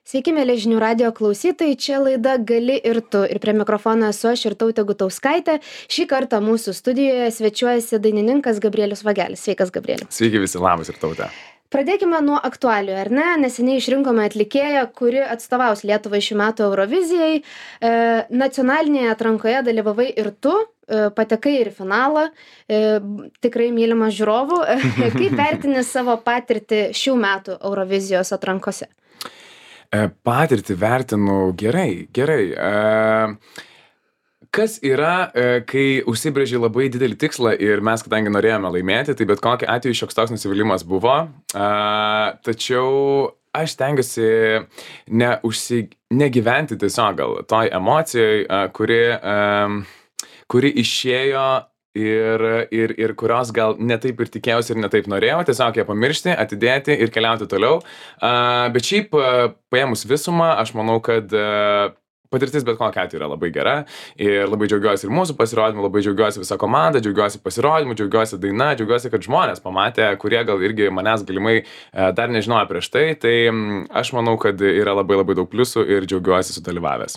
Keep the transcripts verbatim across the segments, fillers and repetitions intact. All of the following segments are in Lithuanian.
Sveiki, mėly žinių radio klausytojai, čia laida Gali ir tu. Ir prie mikrofono esu aš Irtautė Gutauskaitė. Šį kartą mūsų studijoje svečiuojasi dainininkas Gabrielius Vagelis. Sveikas, Gabrielius. Sveiki visi, labas Irtautė. Pradėkime nuo aktualijų, ar ne? Neseniai išrinkome atlikėją, kuri atstovaus Lietuvai šių metų Eurovizijai. E, nacionalinėje atrankoje dalyvavai ir tu, e, patekai ir į finalą, e, tikrai mylimas žiūrovų. Kaip vertini savo patirtį šių metų Eurovizijos atrankose? Patirtį vertinu gerai, gerai. Kas yra, kai užsibrėži labai didelį tikslą ir mes, kadangi norėjome laimėti, tai bet kokiu atveju šioks toks nusivylimas buvo. Tačiau aš stengiuosi neužsi, negyventi tiesiog gal toj emocijoj, kuri, kuri išėjo ir, ir, ir kurios gal netaip ir tikėjausi ir netaip norėjau, tiesiog ją pamiršti, atidėti ir keliauti toliau. Uh, bet šiaip, uh, paėmus visumą, aš manau, kad uh, patirtis bet kokia atveju yra labai gera ir labai džiaugiuosi ir mūsų pasirodymu, labai džiaugiuosi visą komandą, džiaugiuosi pasirodymu, džiaugiuosi daina, džiaugiuosi, kad žmonės pamatė, kurie gal irgi manęs galimai uh, dar nežinojo prieš tai, tai um, aš manau, kad yra labai labai daug pliusų ir džiaugiuosi sudalyvavęs.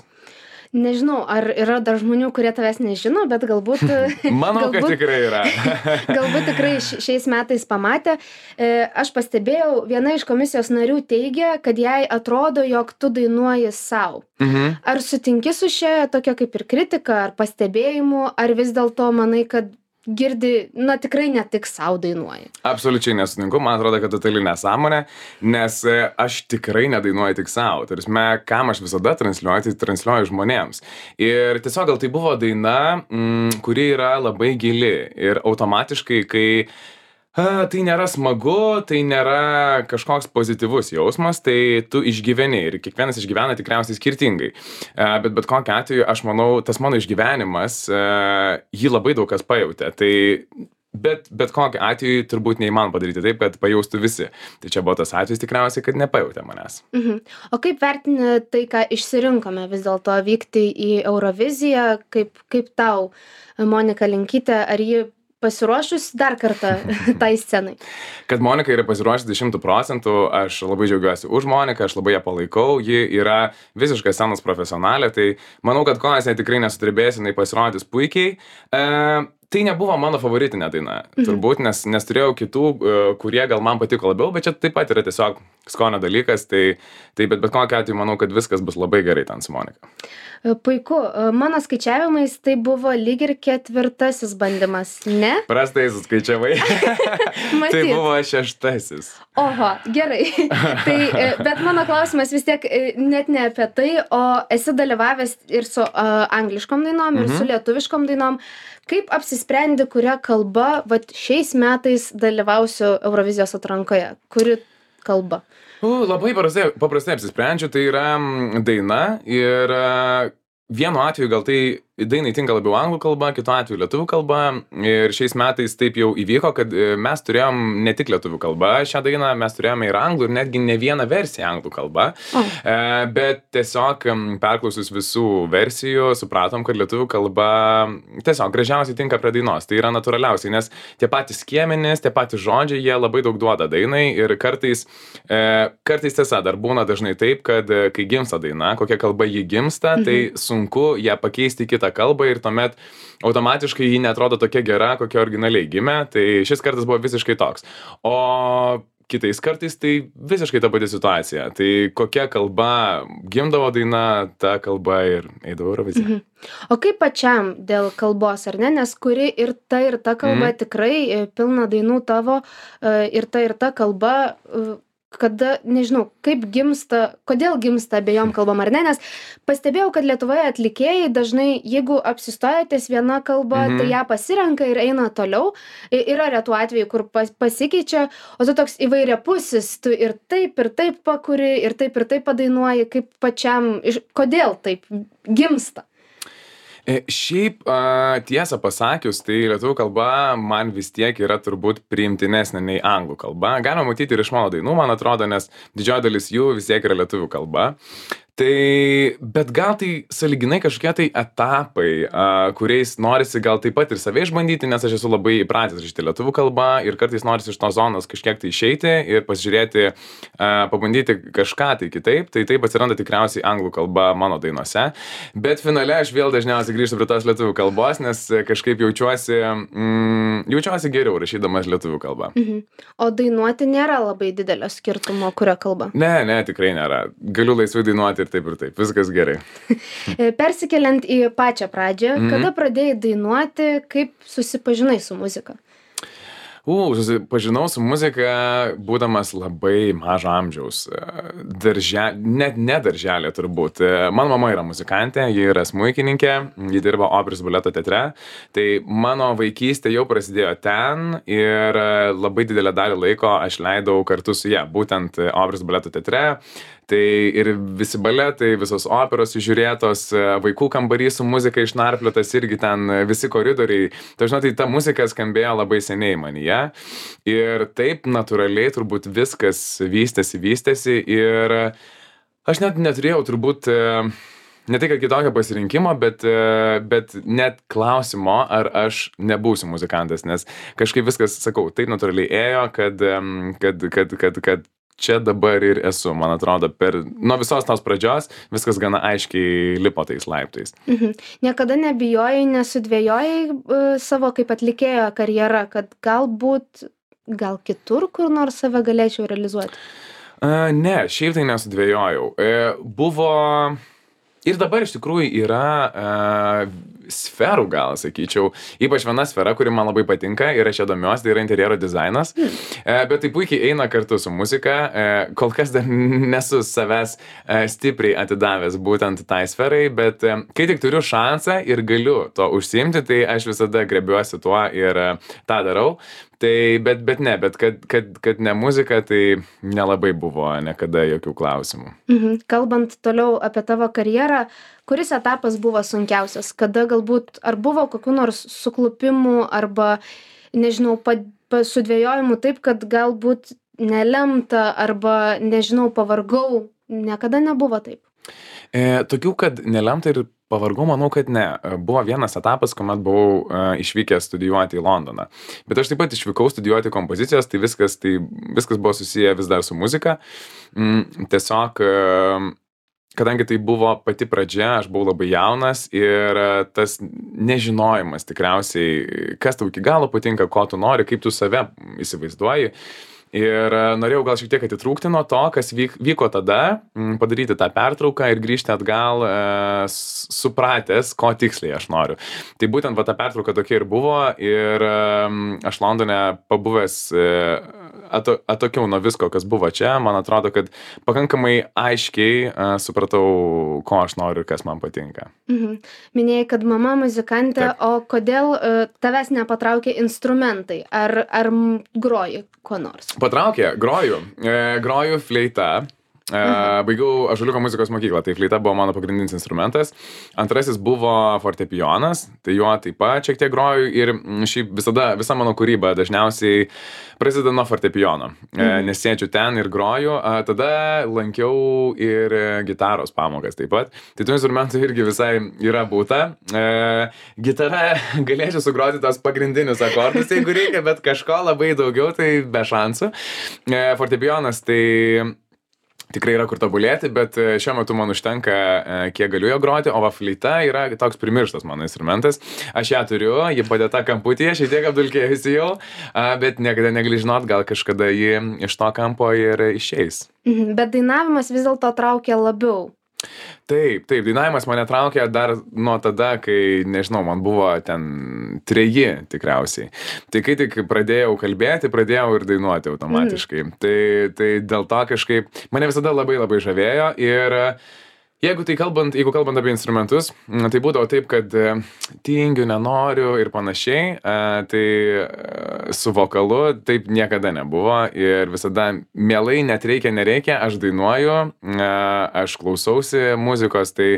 Nežinau, ar yra dar žmonių, kurie tavęs nežino, bet galbūt... Manau, galbūt, kad tikrai yra. galbūt tikrai šiais metais pamatė. Aš pastebėjau, viena iš komisijos narių teigia, kad jai atrodo, jog tu dainuoji sau. Mhm. Ar sutinki su šia tokia kaip ir kritika, ar pastebėjimu, ar vis dėlto manai, kad girdi, na tikrai ne tik sau dainuoji? Absoliučiai nesutinku, man atrodo, kad totali nesąmonė, nes aš tikrai nedainuoju tik sau. Tai prasme, kam aš visada transliuoju, tai transliuoju žmonėms. Ir tiesiog gal tai buvo daina, mm, kuri yra labai gili ir automatiškai, kai a, tai nėra smagu, tai nėra kažkoks pozityvus jausmas, tai tu išgyveni ir kiekvienas išgyvena tikriausiai skirtingai. A, bet bet kokiu atveju, aš manau, tas mano išgyvenimas, a, jį labai daug kas pajautė. Tai bet, bet kokiu atveju turbūt neįmanoma padaryti taip, kad pajaustų visi. Tai čia buvo tas atvejis tikriausiai, kad nepajautė manęs. Mhm. O kaip vertini tai, ką išsirinkome vis dėlto vykti į Euroviziją, kaip, kaip tau, Monika Linkytė, ar ji pasiruošus dar kartą tai scenai? Kad Monika yra pasiruošusi šimtų procentų, aš labai džiaugiuosi už Moniką, aš labai ją palaikau, ji yra visiškai scenos profesionalė, tai manau, kad kol jis tikrai nesutribės, jinai pasirodys puikiai. E, tai nebuvo mano favoritinė daina, mhm. turbūt, nes, nes turėjau kitų, kurie gal man patiko labiau, bet čia taip pat yra tiesiog skonio dalykas, tai, tai bet bet kokiu atveju manau, kad viskas bus labai gerai ten su Monika. Puiku. Mano skaičiavimais tai buvo lyg ir ketvirtasis bandymas, ne? Prastai suskaičiavai. Tai buvo šeštasis. Oho, gerai. Tai, bet mano klausimas vis tiek net ne apie tai, o esi dalyvavęs ir su uh, angliškom dainom, mhm. ir su lietuviškom dainom. Kaip apsisprendi, kuria kalba vat, šiais metais dalyvausiu Eurovizijos atrankoje? Kuri kalba? Uh, labai paprastai, paprastai apsisprendžiu, tai yra daina ir uh, vienu atveju gal tai dainai tinka labiau anglų kalba, kitu atveju lietuvių kalba ir šiais metais taip jau įvyko, kad mes turėjom ne tik lietuvių kalba šią dainą, mes turėjome ir anglų ir netgi ne vieną versiją anglų kalba, oh. e, bet tiesiog perklausus visų versijų supratom, kad lietuvių kalba tiesiog gražiausiai tinka prie dainos, tai yra natūraliausiai, nes tie patys skiemenys, tie patys žodžiai, jie labai daug duoda dainai ir kartais, e, kartais tiesa, dar būna dažnai taip, kad kai gimsta daina, kokia kalba ji gimsta, mhm. tai sunku ją pakeisti kitą kalbą ir tuomet automatiškai ji neatrodo tokia gera, kokia originaliai gimė, tai šis kartas buvo visiškai toks. O kitais kartais tai visiškai ta pati situacija. Tai kokia kalba gimdavo daina, ta kalba ir eidavo Euroviziją. Mhm. O kaip pačiam dėl kalbos, ar ne? Nes kuri ir ta ir ta kalba mhm. tikrai pilna dainų tavo ir ta ir ta kalba... kada, nežinau, kaip gimsta, kodėl gimsta abejom kalbom ar ne, nes pastebėjau, kad Lietuvoje atlikėjai dažnai, jeigu apsistoja ties viena kalba, mhm. tai ją pasirenka ir eina toliau. Yra retų atvejų, kur pas, pasikeičia, o tu toks įvairiapusis, tu ir taip, ir taip pakuri, ir taip, ir taip padainuoji, kaip pačiam, kodėl taip gimsta? Šiaip tiesą pasakius, tai lietuvių kalba man vis tiek yra turbūt priimtinesnė nei anglų kalba. Galima matyti ir iš mano dainų, man atrodo, nes didžioji dalis jų vis tiek yra lietuvių kalba. Tai, bet gal tai sąlyginai kažkokie tai etapai, a, kuriais norisi gal taip pat ir save išbandyti, nes aš esu labai įpratęs rašyti lietuvių kalbą ir kartais norisi iš tos zonos kažkiek tai išeiti ir pasižiūrėti, a, pabandyti kažką tai kitaip, tai taip atsiranda tikriausiai anglų kalba mano dainose, bet finale aš vėl dažniausiai grįžtu prie tos lietuvių kalbos, nes kažkaip jaučiuosi, mm, jaučiuosi geriau rašydamas lietuvių kalbą. Mhm. O dainuoti nėra labai didelio skirtumo, kurio kalba? Ne, ne, tikrai nėra. Galiu laisvai dainuoti ir taip ir taip, viskas gerai. Persikeliant į pačią pradžią, Mhm. kada pradėjai dainuoti, kaip susipažinai su muzika? U, susipažinau su muzika, būdamas labai mažo amžiaus. Daržel, net ne darželė turbūt. Mano mama yra muzikantė, ji yra smuikininkė, ji dirba operos baleto teatre. Tai mano vaikystė jau prasidėjo ten ir labai didelę dalį laiko aš leidau kartu su ja, būtent operos baleto teatre. Tai ir visi baletai, visos operos žiūrėtos, vaikų kambarys su muzika išnarpliotas, irgi ten visi koridoriai. Tai žinot, tai ta muzika skambėjo labai seniai manyje. Ir taip natūraliai turbūt viskas vystėsi, vystėsi. Ir aš net neturėjau turbūt ne tai, kad kitokio pasirinkimo, bet, bet net klausimo, ar aš nebūsiu muzikantas. Nes kažkaip viskas, sakau, taip natūraliai ėjo, kad, kad, kad, kad, kad čia dabar ir esu, man atrodo, per, nuo visos tos pradžios viskas gana aiškiai lipo tais laiptais. Mhm. Niekada nebijojai, nesudvėjojai uh, savo kaip atlikėjo karjerą, kad galbūt, gal kitur kur nors save galėčiau realizuoti? Uh, ne, šiaip tai nesudvėjojau. Uh, buvo... Ir dabar iš tikrųjų yra uh, sferų, gal sakyčiau, ypač viena sfera, kuri man labai patinka ir aš ją domiuosi, tai yra interjero dizainas, mm. uh, bet tai puikiai eina kartu su muzika, uh, kol kas dar nesu savęs uh, stipriai atidavęs būtent tai sferai, bet uh, kai tik turiu šansą ir galiu to užsiimti, tai aš visada grebiuosi tuo ir uh, tą darau. Tai, bet, bet ne, bet kad, kad, kad ne muzika, tai nelabai buvo niekada jokių klausimų. Mhm. Kalbant toliau apie tavo karjerą, kuris etapas buvo sunkiausias? Kada galbūt, ar buvo kokių nors suklupimų arba, nežinau, pa, pa, sudvėjojimų taip, kad galbūt nelemta arba, nežinau, pavargau? Niekada nebuvo taip? E, tokių, kad nelemta ir pavargau, manau, kad ne. Buvo vienas etapas, kuomet buvau uh, išvykęs studijuoti į Londoną. Bet aš taip pat išvykau studijuoti kompozicijos, tai viskas, tai viskas buvo susiję vis dar su muzika. Mm, tiesiog, uh, kadangi tai buvo pati pradžia, aš buvau labai jaunas ir uh, tas nežinojimas tikriausiai, kas tau iki galo patinka, ko tu nori, kaip tu save įsivaizduoji. Ir norėjau gal šiek tiek atitrūkti nuo to, kas vyk, vyko tada, padaryti tą pertrauką ir grįžti atgal e, supratęs, ko tiksliai aš noriu. Tai būtent va, ta pertrauka tokia ir buvo ir e, aš Londone pabuvęs e, ato, atokiau nuo visko, kas buvo čia, man atrodo, kad pakankamai aiškiai e, supratau, ko aš noriu ir kas man patinka. Mhm. Minėjai, kad mama muzikantė, Taip. O kodėl e, tavęs nepatraukė instrumentai? Ar, ar groji ko nors? Patraukė, groju. E, groju fleita. E, baigiau Ąžuoliuko muzikos mokyklą, tai fleita buvo mano pagrindinis instrumentas. Antrasis buvo fortepijonas, tai juo taip pat šiek tiek groju ir šiaip visada, visa mano kūryba dažniausiai prasideda nuo fortepijono. E, nes sėdžiu ten ir groju, a, tada lankiau ir gitaros pamokas taip pat. Tai tų instrumentų irgi visai yra būta. E, gitara galėčiau sugroti tos pagrindinius akordus, jeigu reikia, bet kažko labai daugiau, tai be šansų. E, fortepijonas tai tikrai yra kur tobulėti, bet šiuo metu man užtenka, kiek galiu jo groti, o va fleita yra toks primirštas mano instrumentas. Aš ją turiu, ji padėta kamputyje, šiek tiek apdulkėjusi jau, bet niekada negali žinot, gal kažkada ji iš to kampo ir išeis. Mhm, bet dainavimas vis dėlto traukia labiau. Taip, taip, dainavimas mane traukė dar nuo tada, kai, nežinau, man buvo ten treji tikriausiai. Tai kai tik pradėjau kalbėti, pradėjau ir dainuoti automatiškai. Mm. Tai, tai dėl to kažkaip mane visada labai labai žavėjo ir jeigu tai kalbant, jeigu kalbant apie instrumentus, tai būdavo taip, kad tingiu, nenoriu ir panašiai, tai su vokalu taip niekada nebuvo ir visada mielai, net reikia, nereikia, aš dainuoju, aš klausausi muzikos, tai,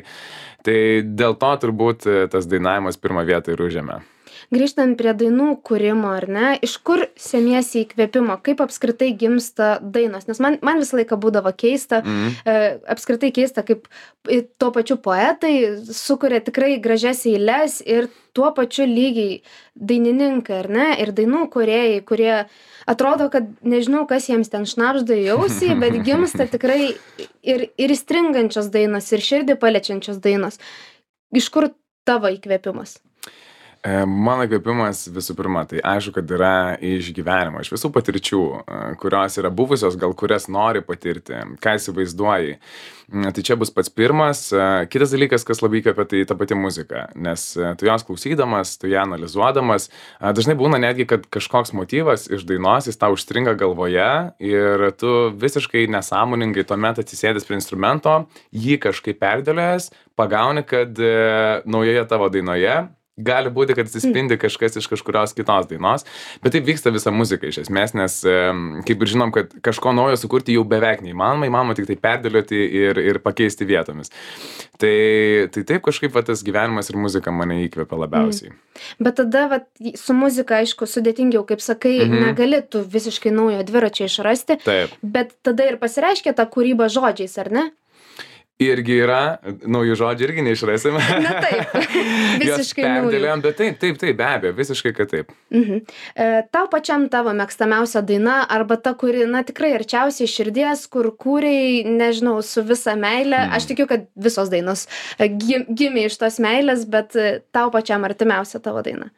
tai dėl to turbūt tas dainavimas pirmą vietą ir užėmė. grįžtant prie dainų kūrimo, ar ne, iš kur semiesi įkvėpimo, kaip apskritai gimsta dainos, nes man, man visą laiką būdavo keista, Mhm. e, apskritai keista, kaip i- tuo pačiu poetai sukuria tikrai gražias eiles ir tuo pačiu lygiai dainininkai, ar ne, ir dainų kūrėjai, kurie atrodo, kad nežinau, kas jiems ten šnabžda į ausį, bet gimsta tikrai ir, ir įstringančios dainos, ir širdį paliečiančios dainos. Iš kur tavo įkvėpimas? E, Mano įkvėpimas visų pirma, tai aišku, kad yra iš gyvenimo, iš visų patirčių, e, kurios yra buvusios, gal kurias nori patirti, ką įsivaizduoji. Mm, Tai čia bus pats pirmas. E, Kitas dalykas, kas labai įkvėpia, tai ta pati muzika, nes e, tu jos klausydamas, tu ją analizuodamas, e, dažnai būna netgi, kad kažkoks motyvas iš dainos, jis tau užstringa galvoje ir tu visiškai nesąmoningai tuomet atsisėdęs prie instrumento, jį kažkaip perdėlėjęs, pagauni, kad e, naujoje tavo dainoje gali būti, kad atsispindi kažkas iš kažkurios kitos dainos, bet taip vyksta visa muzika iš esmės, nes em, kaip ir žinom, kad kažko naujo sukurti jau beveik neįmanoma, įmanoma tik tai perdėlioti ir, ir pakeisti vietomis. Tai, tai taip kažkaip va, tas gyvenimas ir muzika mane įkvepia labiausiai. Bet tada vat, su muzika, aišku, sudėtingiau, kaip sakai, Mhm. negali tu visiškai naujo dviračio išrasti, Taip. bet tada ir pasireiškia ta kūryba žodžiais, ar ne? Irgi yra, naujų žodžių irgi neišrasime. Na taip, visiškai naujų. Perdėliojom, bet taip, taip, taip, be abejo, visiškai kad taip. Mhm. E, tau pačiam tavo mėgstamiausia daina arba ta, kuri, na, tikrai arčiausiai širdies, kur kūrei, nežinau, su visa meile. Mm. Aš tikiu, kad visos dainos e, gim- gimė iš tos meilės, bet e, tau pačiam artimiausia tavo daina.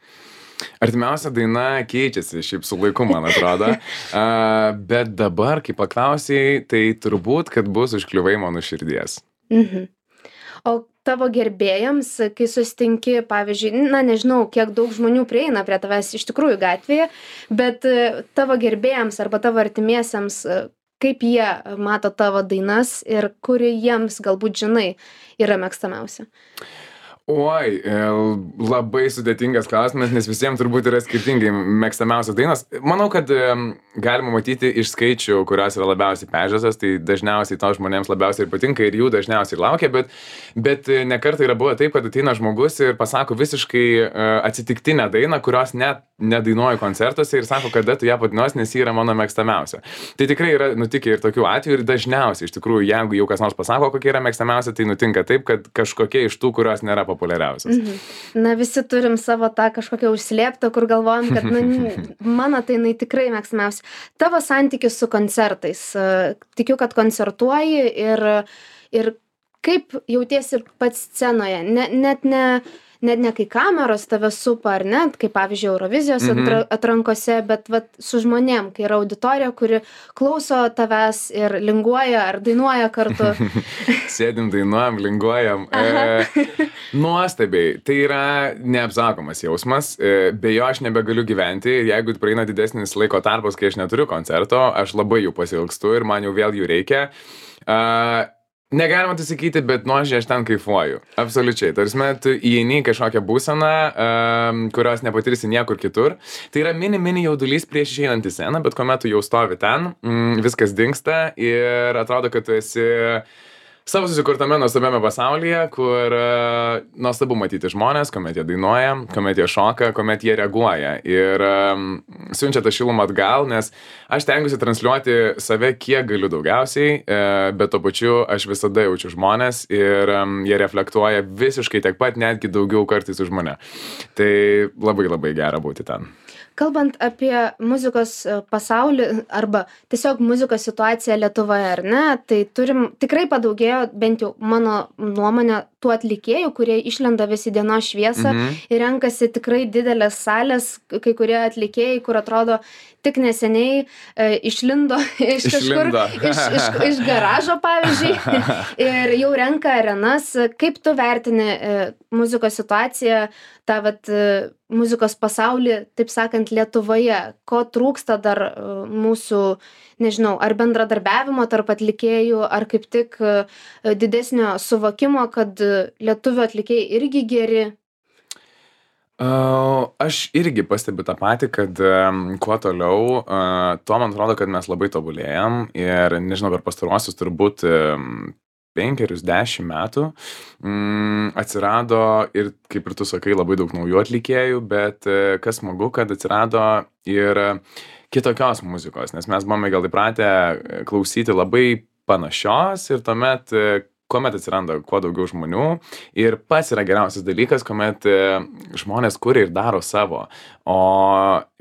Artimiausia daina keičiasi šiaip su laiku, man atrodo. A, bet dabar, kai paklausai, tai turbūt, kad bus užkliuvai mano širdies. Mhm. O tavo gerbėjams, kai susitinki, pavyzdžiui, na nežinau, kiek daug žmonių prieina prie tavęs iš tikrųjų gatvėje, bet e, tavo gerbėjams arba tavo artimiesiems, e, kaip jie mato tavo dainas ir kuri jiems galbūt žinai yra mėgstamiausia. Oi, e, labai sudėtingas klausimas, nes visiems turbūt yra skirtingai mėgstamiausias dainos. Manau, kad e, galima matyti iš skaičių, kurios yra labiausiai peržiūrėtos, tai dažniausiai to žmonėms labiausiai ir patinka ir jų dažniausiai laukia, bet, bet e, ne kartą yra buvę taip, kad ateina žmogus ir pasako visiškai e, atsitiktinę dainą, kurios net nedainuoju koncertuose ir sako, kada tu ją padainuosi, nes ji yra mano mėgstamiausia. Tai tikrai yra nutikę ir tokių atvejų ir dažniausiai, iš tikrųjų, jeigu jau kas nors pasako, kokia yra mėgstamiausia, tai nutinka taip, kad kažkokia iš tų, kurios nėra populiariausias. Mhm. Na visi turim savo tą kažkokią užslėptą, kur galvojam, kad na, n- mano tai jinai tikrai mėgstamiausia. Tavo santykis su koncertais. e, Tikiu, kad koncertuoji ir, ir kaip jautiesi pats scenoje. Ne, net ne, net ne kai kameros tave supa, ar ne, kaip pavyzdžiui Eurovizijos Mhm. atra- atrankose, bet vat, su žmonėm, kai yra auditorija, kuri klauso tavęs ir linguoja ar dainuoja kartu. Sėdim, dainuojam, linguojam. E, nuostabiai. Tai yra neapsakomas jausmas. E, be jo aš nebegaliu gyventi. Jeigu praeina didesnis laiko tarpas, kai aš neturiu koncerto, aš labai jų pasiilgstu ir man jau vėl jų reikia. E, Negalima tai sakyti, bet nuoširdžiai aš ten kaifuoju. Absoliučiai. Tarsi, tu įeini į kažkokią būseną, um, kurios nepatirsi niekur kitur. Tai yra mini, mini jaudulys prieš išeinant į sceną, bet kuomet tu jau stovi ten, mm, viskas dingsta ir atrodo, kad tu esi savo susikurtame nuostabiame pasaulyje, kur uh, nuostabu matyti žmonės, kuomet jie dainuoja, kuomet jie šoka, kuomet jie reaguoja ir um, siunčia tą šilumą atgal, nes aš tengiuosi transliuoti save kiek galiu daugiausiai, uh, bet tuo pačiu aš visada jaučiu žmonės ir um, jie reflektuoja visiškai tiek pat, netgi daugiau kartais už mane. Tai labai labai gera būti ten. Kalbant apie muzikos e, pasaulį arba tiesiog muzikos situaciją Lietuvoje, ar ne, tai turim, tikrai padaugėjo, bent jau mano nuomonė, tų atlikėjų, kurie išlenda vis į dienos šviesą Mhm. ir renkasi tikrai didelės salės, kai kurie atlikėjai, kur atrodo tik neseniai e, išlindo iš kažkur, Išlindo. iš, iš, iš garažo, pavyzdžiui, ir jau renka arenas. Kaip tu vertini e, muzikos situaciją, tą vat, e, muzikos pasaulį, taip sakant, Lietuvoje? Ko trūksta dar e, mūsų, nežinau, ar bendradarbiavimo tarp atlikėjų, ar kaip tik e, didesnio suvokimo, kad e, lietuvių atlikėjai irgi geri? Uh, aš irgi pastebiu tą patį, kad um, kuo toliau, uh, tuo man atrodo, kad mes labai tobulėjam ir nežinau, per pastaruosius turbūt um, penkerius, dešimt metų mm, atsirado ir, kaip ir tu sakai, labai daug naujų atlikėjų, bet e, kas smagu, kad atsirado ir kitokios muzikos, nes mes buvome gal įpratę klausyti labai panašios ir tuomet e, kuomet atsiranda kuo daugiau žmonių ir pats yra geriausias dalykas, kuomet e, žmonės kuria ir daro savo, o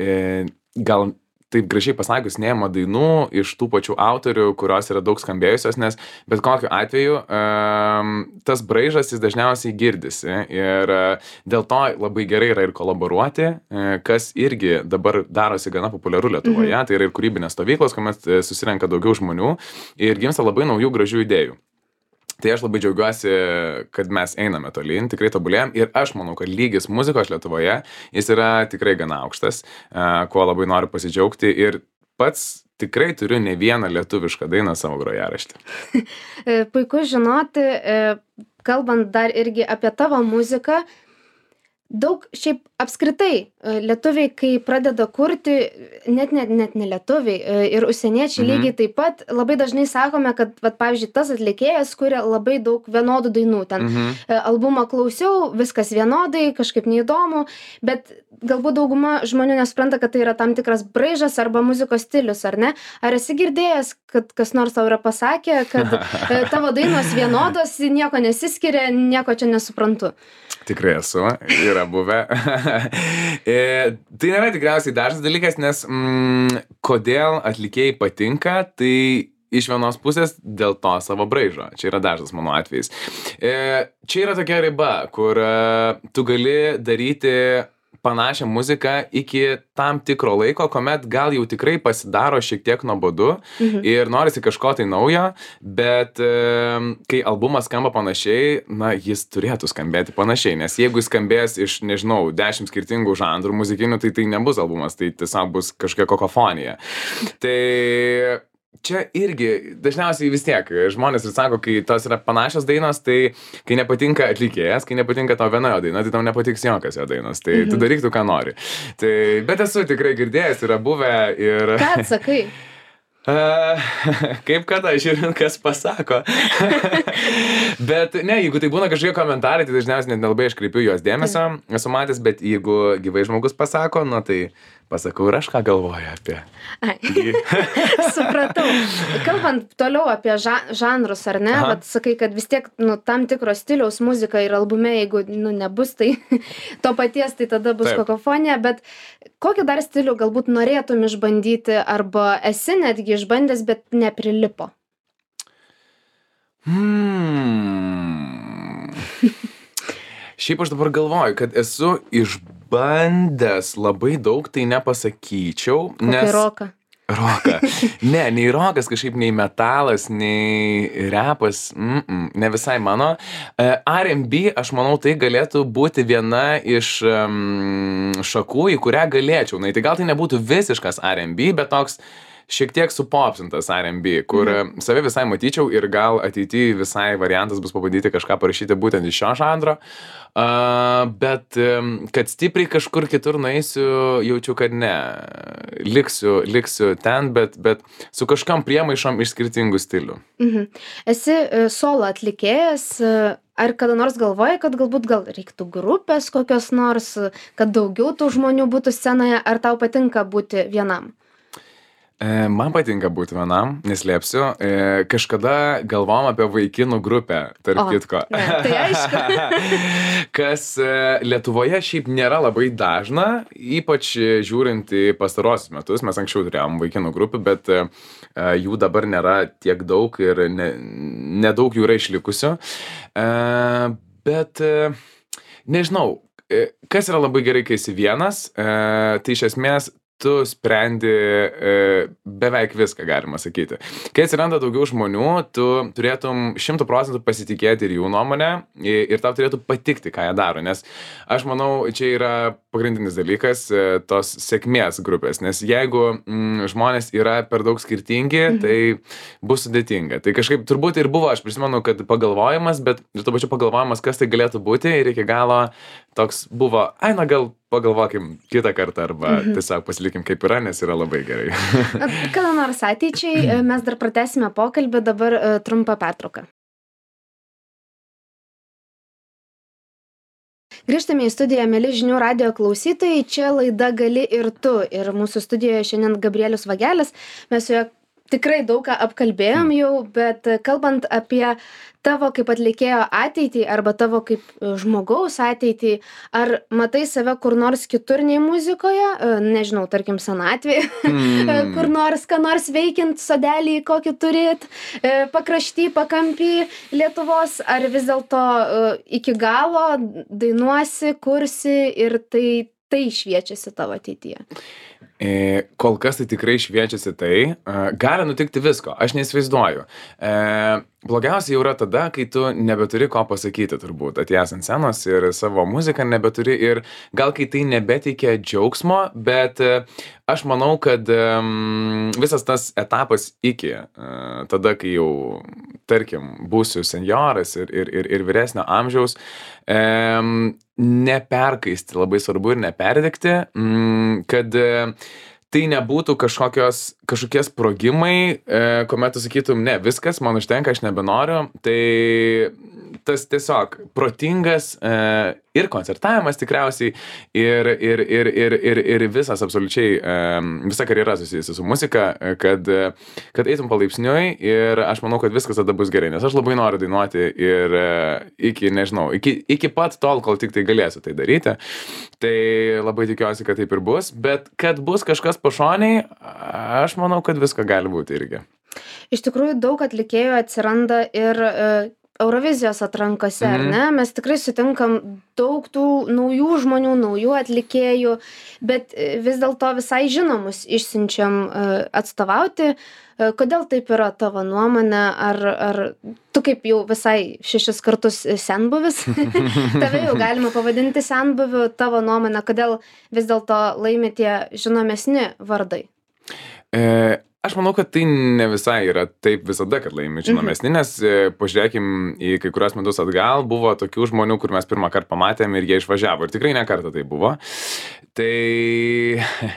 e, gal taip gražiai pasakius, neima dainų iš tų pačių autorių, kurios yra daug skambėjusios, nes bet kokiu atveju um, tas braižas jis dažniausiai girdisi ir uh, dėl to labai gerai yra ir kolaboruoti, uh, kas irgi dabar darosi gana populiaru Lietuvoje, mhm. Tai yra ir kūrybinės stovyklos, kuomet uh, susirenka daugiau žmonių ir gimsta labai naujų gražių idėjų. Tai aš labai džiaugiuosi, kad mes einame tolyn, tikrai tobulėjam ir aš manau, kad lygis muzikos Lietuvoje, jis yra tikrai gana aukštas, kuo labai noriu pasidžiaugti ir pats tikrai turiu ne vieną lietuvišką dainą savo grojaraštį. Puiku žinoti, kalbant dar irgi apie tavo muziką, daug šiaip apskritai lietuviai, kai pradeda kurti, net, net, net ne lietuviai ir užsieniečiai mhm. lygiai taip pat, labai dažnai sakome, kad, vat, pavyzdžiui, tas atlikėjas kuria labai daug vienodų dainų. Ten mhm. albumą klausiau, viskas vienodai, kažkaip neįdomu, bet galbūt dauguma žmonių nesupranta, kad tai yra tam tikras braižas arba muzikos stilius, ar ne? Ar esi girdėjęs, kad kas nors tau yra pasakę, kad tavo dainos vienodos, nieko nesiskiria, nieko čia nesuprantu? Tikrai esu, yra buvę. e, tai nėra tikriausiai dažnas dalykas, nes mm, kodėl atlikėjai patinka, tai iš vienos pusės dėl to savo braižo. Čia yra dažnas mano atvejis. E, čia yra tokia riba, kur e, tu gali daryti panašią muziką iki tam tikro laiko, kuomet gal jau tikrai pasidaro šiek tiek nuobodu mhm. ir norisi kažko tai naujo, bet e, kai albumas skamba panašiai, na, jis turėtų skambėti panašiai, nes jeigu jis skambės iš, nežinau, dešimt skirtingų žanrų muzikinių, tai tai nebus albumas, tai tiesiog bus kažkokia kakofonija. Tai čia irgi dažniausiai vis tiek žmonės ir sako, kai tos yra panašios dainos, tai kai nepatinka atlikėjas, kai nepatinka tau viena jo daina, tai tau nepatiks jokios jo dainos, tai mhm. tu daryk tu, ką nori. Tai, bet esu tikrai girdėjęs, yra buvę ir... Ką atsakai? Uh, kaip kada, žiūrint, kas pasako. Bet ne, jeigu tai būna kažkokie komentarai, tai dažniausiai net nelabai aš kreipiu juos dėmesio, esu matęs, bet jeigu gyvai žmogus pasako, nu tai pasakau ir aš ką galvoju apie. Ai. Supratau. Kalbant toliau apie ža žanrus, ar ne, bet sakai, kad vis tiek nu, tam tikro stiliaus muzika ir albume, jeigu nu, nebus tai to paties, tai tada bus Taip. Kakofonija, bet kokį dar stilių galbūt norėtum išbandyti arba esi netgi išbandęs, bet neprilipo? Hmm. Šiaip aš dabar galvoju, kad esu išbandęs labai daug, tai nepasakyčiau. Kokį nes... roką? Roką. Ne, nei rokas kažkaip, nei metalas, nei repas, mm -mm, ne visai mano. R and B, aš manau, tai galėtų būti viena iš um, šakų, į kurią galėčiau. Na, tai gal tai nebūtų visiškas R and B, bet toks šiek tiek supopsintas R and B, kur mhm. save visai matyčiau ir gal ateityje visai variantas bus pabandyti kažką parašyti būtent iš šio žanro. Uh, bet um, kad stipriai kažkur kitur nueisiu, jaučiu, kad ne. Liksiu, liksiu ten, bet, bet su kažkam priemaišom iš skirtingų stilių. Mhm. Esi uh, solo atlikėjas. Uh... Ar kada nors galvoji, kad galbūt gal reiktų grupės kokios nors, kad daugiau tų žmonių būtų scenoje, ar tau patinka būti vienam? E, man patinka būti vienam, neslėpsiu. E, kažkada galvom apie vaikinų grupę, tarp o, kitko. Ne, tai aišku. Kas e, Lietuvoje šiaip nėra labai dažna, ypač žiūrint į pastarosius metus. Mes anksčiau turėjom vaikinų grupių, bet e, jų dabar nėra tiek daug ir ne, nedaug jų yra išlikusių. E, bet e, nežinau, e, kas yra labai gerai, kai esi vienas, e, tai iš esmės tu sprendi e, beveik viską, galima sakyti. Kai atsiranda daugiau žmonių, tu turėtum šimtų procentų pasitikėti ir jų nuomonę ir tau turėtų patikti, ką jie daro, nes aš manau, čia yra pagrindinis dalykas e, tos sėkmės grupės, nes jeigu mm, žmonės yra per daug skirtingi, mhm. tai bus sudėtinga. Tai kažkaip turbūt ir buvo, aš prisimenu, kad pagalvojimas, bet ir to pačiu pagalvojimas, kas tai galėtų būti ir iki galo toks buvo, ai, na gal pagalvokim kitą kartą arba mhm. tiesiog pasilikim kaip yra, nes yra labai gerai. Kada nors ateičiai mes dar pratęsime pokalbį, dabar trumpa pertrauka. Grįžtame į studiją, mėly žinių radijo klausytojai, čia laida Gali ir tu. Ir mūsų studijoje šiandien Gabrielius Vagelis. Mes su juo tikrai daug ką apkalbėjom jau, bet kalbant apie tavo kaip atlikėjo ateitį arba tavo kaip žmogaus ateitį, ar matai save kur nors kitur nei muzikoje, nežinau, tarkim, senatvėje, mm. kur nors, ką nors veikiant, sodelį kokį turit, pakrašty, pakampį Lietuvos, ar vis dėlto iki galo dainuosi, kursi ir tai, tai šviečiasi tavo ateityje? E, kol kas tai tikrai šviečiasi tai, e, gali nutikti visko, aš neįsivaizduoju. E, blogiausia jau yra tada, kai tu nebeturi ko pasakyti turbūt, atėjęs ant scenos ir savo muziką nebeturi ir gal kai tai nebeteikia džiaugsmo, bet e, aš manau, kad e, visas tas etapas iki, e, tada, kai jau, tarkim, būsiu senjoras ir, ir, ir, ir vyresnio amžiaus, e, neperkaisti, labai svarbu ir neperdegti, kad tai nebūtų kažkokios, kažkokie sprogimai, kuomet tu sakytum, ne, viskas, man užtenka, aš nebenoriu, tai tas tiesiog protingas ir koncertavimas tikriausiai ir, ir, ir, ir, ir, ir visas absoliučiai, visa karjera susijusi su muzika, kad, kad eitum palaipsniui ir aš manau, kad viskas tada bus gerai, nes aš labai noriu dainuoti ir iki, nežinau, iki, iki pat tol, kol tik tai galėsiu tai daryti, tai labai tikiuosi, kad taip ir bus, bet kad bus kažkas pašoniai, aš manau, kad visko gali būti irgi. Iš tikrųjų, daug atlikėjų atsiranda ir Eurovizijos atrankose, ar ne? Mes tikrai sutinkam daug tų naujų žmonių, naujų atlikėjų, bet vis dėlto visai žinomus išsiunčiam atstovauti. Kodėl taip yra tavo nuomonė? Ar, ar tu kaip jau visai šešis kartus senbuvis, tave jau galima pavadinti senbuviu, tavo nuomonė, kodėl vis dėlto laimi tie žinomesni vardai? E... Aš manau, kad tai ne visai yra taip visada, kad laimi žinomesni, nes pažiūrėkim į kai kurios metus atgal, buvo tokių žmonių, kur mes pirmą kartą pamatėm ir jie išvažiavo. Ir tikrai ne kartą tai buvo. Tai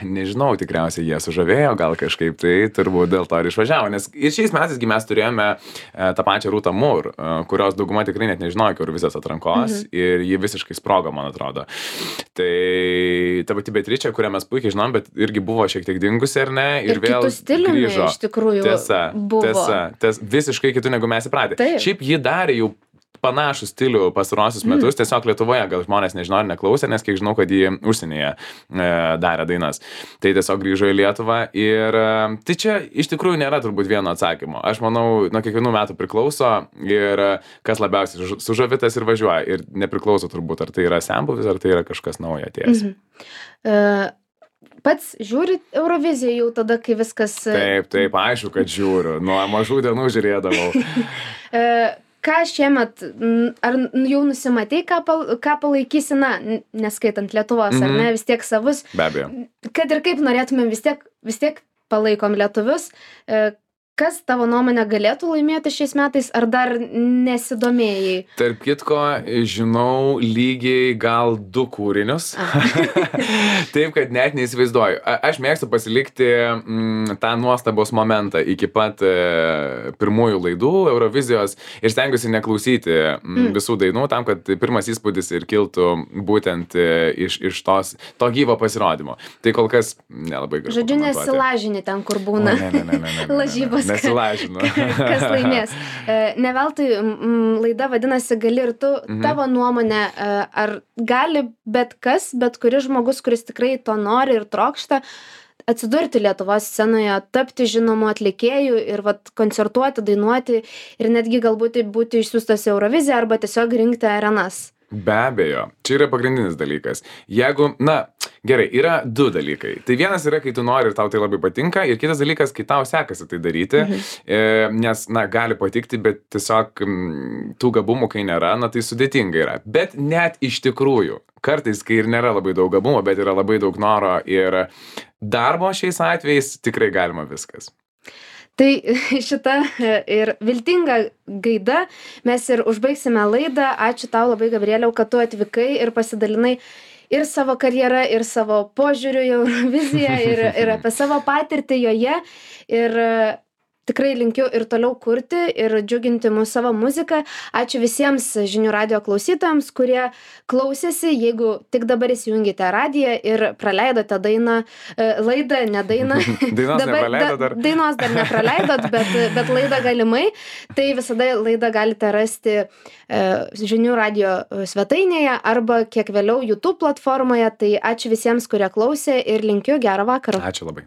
nežinau, tikriausiai jie sužavėjo, gal kažkaip tai turbūt dėl to ir išvažiavo. Nes ir šiais metais mes turėjome tą pačią Rūtą Mur, kurios dauguma tikrai net nežinojo iki Eurovizijos atrankos mhm. ir ji visiškai sprogo, man atrodo. Tai ta pati Beatričė, kurią mes puikiai žinom, bet irgi buvo šiek tiek dingusi, ar ne? Ir, ir vėl grįžo. Iš tikrųjų tiesa, buvo. Tiesa, ties, visiškai kitų negu mes įpratę. Taip. Šiaip ji darė jau panašų stilių pastarosius metus, mm. tiesiog Lietuvoje gal žmonės nežino ir neklausė, nes kiek žinau, kad jį užsienyje e, darė dainas. Tai tiesiog grįžo į Lietuvą ir e, tai čia iš tikrųjų nėra turbūt vieno atsakymo. Aš manau, nuo kiekvienų metų priklauso ir kas labiausiai sužavitas ir važiuoja. Ir nepriklauso turbūt, ar tai yra senbuvis, ar tai yra kažkas naujo atėjęs. Mm-hmm. Uh... Pats žiūri Euroviziją jau tada, kai viskas... Taip, taip, aišku, kad žiūriu. Nuo mažų dienų žiūrėdavau. Ką šiemet, ar jau nusimatei, ką, pal, ką palaikysi, na, neskaitant Lietuvos, mm-hmm. ar ne, vis tiek savus? Be abejo. Kad ir kaip norėtumėm, vis tiek, vis tiek palaikom lietuvius. Kas tavo nuomonė galėtų laimėti šiais metais, ar dar nesidomėjai? Tarp kitko, žinau lygiai gal du kūrinius. Taip, kad net neįsivaizduoju. A, aš mėgstu pasilikti mm, tą nuostabos momentą iki pat e, pirmųjų laidų Eurovizijos ir stengiuosi neklausyti mm, visų dainų, tam, kad pirmas įspūdis ir kiltų būtent e, iš, iš tos, to gyvo pasirodymo. Tai kol kas nelabai galiu. Žodžiu, nesilažini ten, kur būna. O, ne, ne, ne, ne, ne, ne. Lažybos. Nesilažinu. Kas laimės. Ne veltui laida vadinasi Gali ir tu. Mhm. Tavo nuomonė, ar gali bet kas, bet kuris žmogus, kuris tikrai to nori ir trokšta, atsidurti Lietuvos scenoje, tapti žinomu atlikėju ir vat, koncertuoti, dainuoti ir netgi galbūt būti išsiųstas į Euroviziją arba tiesiog rinkti arenas? Be abejo, čia yra pagrindinis dalykas. Jeigu, na, gerai, yra du dalykai. Tai vienas yra, kai tu nori ir tau tai labai patinka, ir kitas dalykas, kai tau sekasi tai daryti, mhm. e, nes, na, gali patikti, bet tiesiog m, tų gabumų, kai nėra, na, tai sudėtinga yra. Bet net iš tikrųjų, kartais, kai ir nėra labai daug gabumo, bet yra labai daug noro ir darbo šiais atvejais, tikrai galima viskas. Tai šita ir viltinga gaida mes ir užbaigsime laidą. Ačiū tau labai, Gabrieliau, kad tu atvykai ir pasidalinai ir savo karjerą, ir savo požiūrių į Euroviziją, ir, ir apie savo patirtį joje. Ir tikrai linkiu ir toliau kurti ir džiuginti mus savo muzika. Ačiū visiems žinių radijo klausytojams, kurie klausėsi. Jeigu tik dabar įsijungite radiją ir praleidote dainą, laidą, ne dainą. Dainos nepraleido dar. Dainos dar nepraleidot, bet, bet laidą galimai. Tai visada laidą galite rasti žinių radijo svetainėje arba kiek vėliau YouTube platformoje. Tai ačiū visiems, kurie klausė ir linkiu gerą vakarą. Ačiū labai.